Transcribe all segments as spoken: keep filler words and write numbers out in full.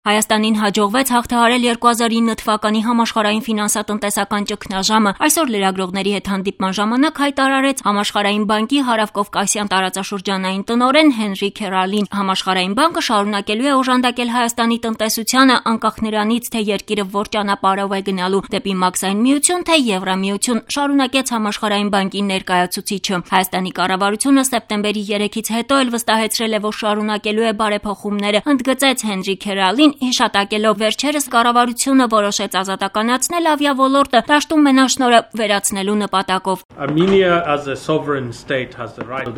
Հայաստանին հաջողվեց հաղթահարել երկու հազար ինը թվականի համաշխարհային ֆինանսատնտեսական ճգնաժամը։ Այսօր լրագրողների հետ հանդիպման ժամանակ հայտարարեց Համաշխարհային բանկի հարավկովկասյան տարածաշրջանային տնօրեն Հենրի Քերալին։ Համաշխարհային բանկը շարունակելու է օժանդակել Հայաստանի տնտեսությանը, անկախ նրանից, թե երկիրը որ ճանապարհով է գնալու՝ դեպի մաքսային միություն, թե Եվրամիություն, շարունակեց Համաշխարհային բանկի ներկայացուցիչը։ Հայաստանի կառավարությունը սեպտեմբերի երեքից հետո էլ վստահեցրել է, որ շարունակելու է բարեփոխումները, ընդգծեց Հենրի Քերալին, հիշատակելով վերջերս կառավարությունը որոշեց ազատականացնել ավիաոլորտը դաշտում մենաշնորհը վերացնելու նպատակով։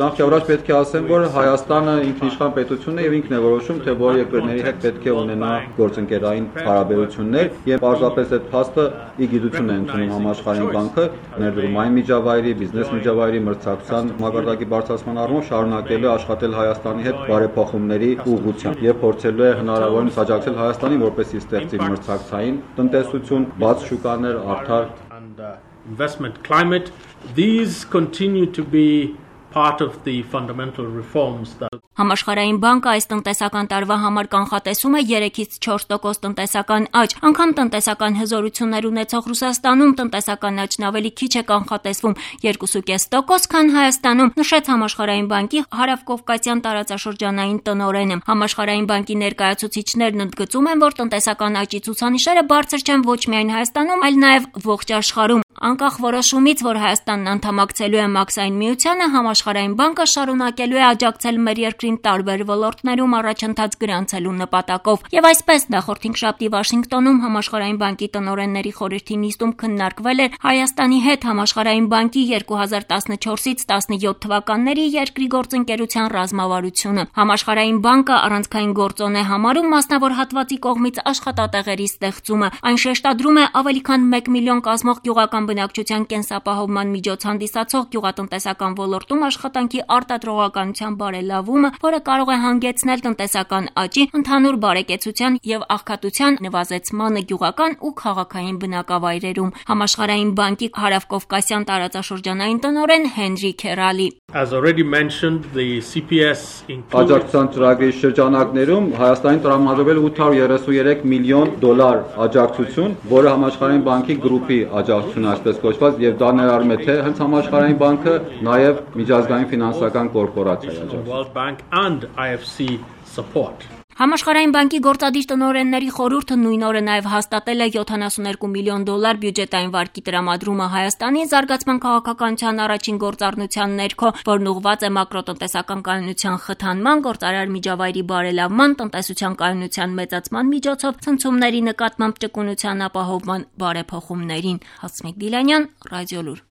Նախ պետք է ասեմ, որ Հայաստանը ինքնիշխան պետություն է եւ ինքն է որոշում, թե որ երկրների հետ պետք է ունենա գործընկերային հարաբերություններ, եւ պարզապես այդ փաստը ի գիտություն է ընդունում Համաշխարհային բանկը, ներդրումային միջավայրի, բիզնես միջավայրի մրցակցության մակարդակի բարձրացման առումով շարունակելու է աշխատել Հայաստանի հետ բարեփոխումների ուղղությամբ եւ փորձելու է հնարավորինս աջակցել Հայաստանին, որպեսզի ստեղծի մրցակցային տնտեսություն, բաց շուկաներ, արդար investment climate. These continue to be part of the fundamental reforms that Համաշխարհային բանկը այս տնտեսական տարվա համար կանխատեսում է երեքից չորս տոկոս տնտեսական աճ, անգամ տնտեսական հզորություններ ունեցող Ռուսաստանում տնտեսական աճն ավելի քիչ է կանխատեսվում երկուսուկես տոկոս, քան Հայաստանում, նշեց Համաշխարհային բանկի հարավկովկասյան տարածաշրջանային տնօրենը։ Համաշխարհային բանկի ներկայացուցիչներն ընդգծում են, որ տնտեսական աճի ցուցանիշերը բարձր չեն ոչ միայն Հայաստանում, այլ նաև ողջ աշխարհում։ Անկախ որոշումից, որ Հայաստանն անդամակցելու է մաքսային միությանը, Համաշխարհային բանկը շարունակելու է աջակցել մեր երկրին տարբեր ոլորտներում առաջընթաց գրանցելու նպատակով։ Եվ այսպես նախորդ հինգշաբթի Վաշինգտոնում Համաշխարհային բանկի տնօրենների խորհրդի նիստում քննարկվել էր Հայաստանի հետ Համաշխարհային բանկի երկու հազար տասնչորսից տասնյոթ թվականների երկրի գործընկերության ռազմավարությունը։ Համաշխարհային բանկը առանցքային գործոն է համարում մասնավոր հատվածի կողմից աշխատատեղերի ստեղծումը։ Այն շեշտադրում է ավելի քան մեկ միլիոն կազմող գյուղական բնակչության կենսապահովման միջոց հանդիսացող գյուղատնտեսական ոլորտում աշխատանքի արտադրողականության բարելավումը, որը կարող է հանգեցնել տնտեսական աճի, ընդհանուր բարեկեցության եւ աղքատության նվազեցմանը գյուղական ու քաղաքային բնակավայրերում։ Համաշխարհային բանկի հարավկովկասյան տարածաշրջանային տնօրեն Հենրի Քերալի. As already mentioned, the C P S Աջակցության ծրագրի շրջանակներում Հայաստանին տրամադրվել ութ հարյուր երեսուններեք միլիոն դոլար աջակցություն, որը Համաշխարհային բանկի գրուպի աջակցություն այսպես կոչված, եւ դա ներառում է թե հենց Համաշխարհային բանկը, նաեւ միջազգային ֆինանսական կորպորացիայի support. Համաշխարհային բանկի գործադիր տնօրենների խորհուրդը նույն օրը նաև հաստատել է յոթանասուններկու միլիոն դոլար բյուջետային վարկի տրամադրումը Հայաստանի զարգացման քաղաքականության առաջին գործառնության ներքո, որն ուղղված է մակրոտնտեսական կայունության խթանման, գործարար միջավայրի բարելավման, տնտեսության կայունության մեծացման միջոցով ցնցումների նկատմամբ ճկունության ապահովման բարեփոխումներին։ Հասմիկ Գիլանյան, Ռադիոլուր։